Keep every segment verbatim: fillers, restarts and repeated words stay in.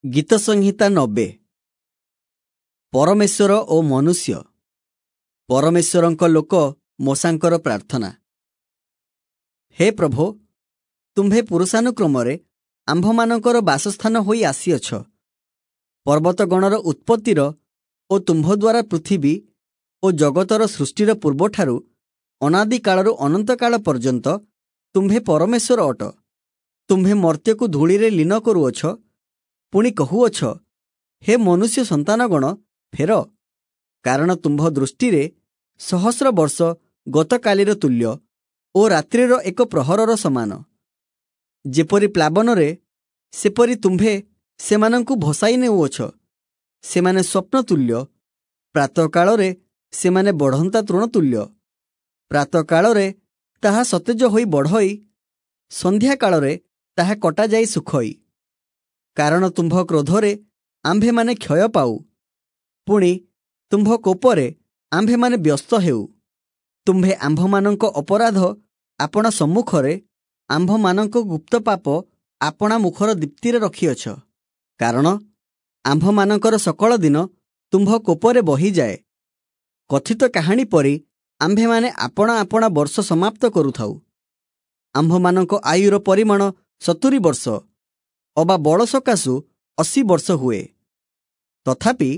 ଗୀତସଂହିତା ନବେ। ପରମେଶ୍ୱର ଓ ମନୁଷ୍ୟ। ପରମେଶ୍ୱରଙ୍କ ଲୋକ ମୋଶାଙ୍କର ପ୍ରାର୍ଥନା। ହେ ପ୍ରଭୋ, ତୁମ୍ଭେ ପୁରୁଷାନୁକ୍ରମରେ ଆମ୍ଭମାନଙ୍କର ବାସସ୍ଥାନ ହୋଇ ଆସିଅଛ। ପର୍ବତଗଣର ଉତ୍ପତ୍ତିର ଓ ତୁମ୍ଭ ଦ୍ୱାରା ପୃଥିବୀ ଓ ଜଗତର ସୃଷ୍ଟିର ପୂର୍ବଠାରୁ ଅନାଦିକାଳରୁ ଅନନ୍ତକାଳ ପର୍ଯ୍ୟନ୍ତ ତୁମ୍ଭେ ପରମେଶ୍ୱର ଅଟ। ତୁମ୍ଭେ ମର୍ତ୍ତ୍ୟକୁ ଧୂଳିରେ ଲୀନ କରୁଅଛ, ପୁଣି କହୁଅଛ, ହେ ମନୁଷ୍ୟ ସନ୍ତାନଗଣ, ଫେର। କାରଣ ତୁମ୍ଭ ଦୃଷ୍ଟିରେ ସହସ୍ର ବର୍ଷ ଗତକାଲିର ତୁଲ୍ୟ ଓ ରାତ୍ରିର ଏକ ପ୍ରହରର ସମାନ। ଯେପରି ପ୍ଲାବନରେ ସେପରି ତୁମ୍ଭେ ସେମାନଙ୍କୁ ଭସାଇ ନେଉଅଛ। ସେମାନେ ସ୍ୱପ୍ନ ତୁଲ୍ୟ, ପ୍ରାତଃକାଳରେ ସେମାନେ ବଢ଼ନ୍ତା ତୃଣ ତୁଲ୍ୟ। ପ୍ରାତଃକାଳରେ ତାହା ସତେଜ ହୋଇ ବଢ଼ଇ, ସନ୍ଧ୍ୟାକାଳରେ ତାହା କଟାଯାଇ ଶୁଖଇ। କାରଣ ତୁମ୍ଭ କ୍ରୋଧରେ ଆମ୍ଭେମାନେ କ୍ଷୟ ପାଉ, ପୁଣି ତୁମ୍ଭ କୋପରେ ଆମ୍ଭେମାନେ ବ୍ୟସ୍ତ ହେଉ। ତୁମ୍ଭେ ଆମ୍ଭମାନଙ୍କ ଅପରାଧ ଆପଣା ସମ୍ମୁଖରେ, ଆମ୍ଭମାନଙ୍କ ଗୁପ୍ତ ପାପ ଆପଣା ମୁଖର ଦୀପ୍ତିରେ ରଖିଅଛ। କାରଣ ଆମ୍ଭମାନଙ୍କର ସକଳ ଦିନ ତୁମ୍ଭ କୋପରେ ବହିଯାଏ। କଥିତ କାହାଣୀ ପରି ଆମ୍ଭେମାନେ ଆପଣା ଆପଣା ବର୍ଷ ସମାପ୍ତ କରୁଥାଉ। ଆମ୍ଭମାନଙ୍କ ଆୟୁର ପରିମାଣ ସତୁରି ବର୍ଷ, ଅବା ବଳ ସକାଶୁ ଅଶୀ ବର୍ଷ ହୁଏ। ତଥାପି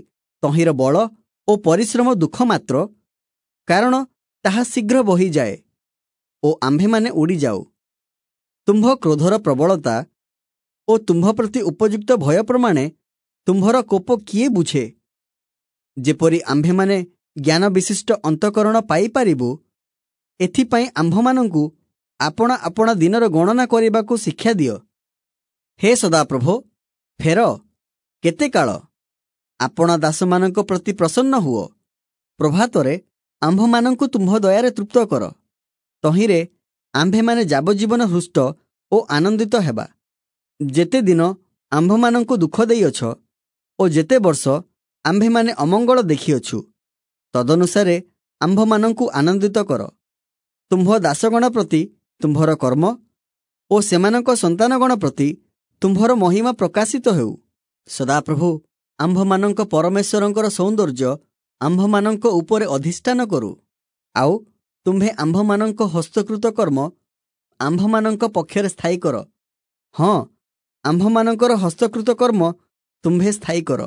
ତହିଁର ବଳ ଓ ପରିଶ୍ରମ ଦୁଃଖ ମାତ୍ର, କାରଣ ତାହା ଶୀଘ୍ର ବହିଯାଏ ଓ ଆମ୍ଭେମାନେ ଉଡ଼ିଯାଉ। ତୁମ୍ଭ କ୍ରୋଧର ପ୍ରବଳତା ଓ ତୁମ୍ଭ ପ୍ରତି ଉପଯୁକ୍ତ ଭୟ ପ୍ରମାଣେ ତୁମ୍ଭର କୋପ କିଏ ବୁଝେ? ଯେପରି ଆମ୍ଭେମାନେ ଜ୍ଞାନ ବିଶିଷ୍ଟ ଅନ୍ତଃକରଣ ପାଇପାରିବୁ, ଏଥିପାଇଁ ଆମ୍ଭମାନଙ୍କୁ ଆପଣା ଆପଣା ଦିନର ଗଣନା କରିବାକୁ ଶିକ୍ଷା ଦିଅ। ହେ ସଦାପ୍ରଭୋ, ଫେର, କେତେ କାଳ? ଆପଣା ଦାସମାନଙ୍କ ପ୍ରତି ପ୍ରସନ୍ନ ହୁଅ। ପ୍ରଭାତରେ ଆମ୍ଭମାନଙ୍କୁ ତୁମ୍ଭ ଦୟାରେ ତୃପ୍ତ କର। ତହିଁରେ ଆମ୍ଭେମାନେ ଯାବଜୀବନ ହୃଷ୍ଟ ଓ ଆନନ୍ଦିତ ହେବା। ଯେତେ ଦିନ ଆମ୍ଭମାନଙ୍କୁ ଦୁଃଖ ଦେଇଅଛ ଓ ଯେତେ ବର୍ଷ ଆମ୍ଭେମାନେ ଅମଙ୍ଗଳ ଦେଖିଅଛୁ, ତଦନୁସାରେ ଆମ୍ଭମାନଙ୍କୁ ଆନନ୍ଦିତ କର। ତୁମ୍ଭ ଦାସଗଣ ପ୍ରତି ତୁମ୍ଭର କର୍ମ ଓ ସେମାନଙ୍କ ସନ୍ତାନଗଣ ପ୍ରତି ତୁମ୍ଭର ମହିମା ପ୍ରକାଶିତ ହେଉ। ସଦାପ୍ରଭୁ ଆମ୍ଭମାନଙ୍କ ପରମେଶ୍ୱରଙ୍କର ସୌନ୍ଦର୍ଯ୍ୟ ଆମ୍ଭମାନଙ୍କ ଉପରେ ଅଧିଷ୍ଠାନ କରୁ। ଆଉ ତୁମ୍ଭେ ଆମ୍ଭମାନଙ୍କ ହସ୍ତକୃତ କର୍ମ ଆମ୍ଭମାନଙ୍କ ପକ୍ଷରେ ସ୍ଥାୟୀ କର। ହଁ, ଆମ୍ଭମାନଙ୍କର ହସ୍ତକୃତ କର୍ମ ତୁମ୍ଭେ ସ୍ଥାୟୀ କର।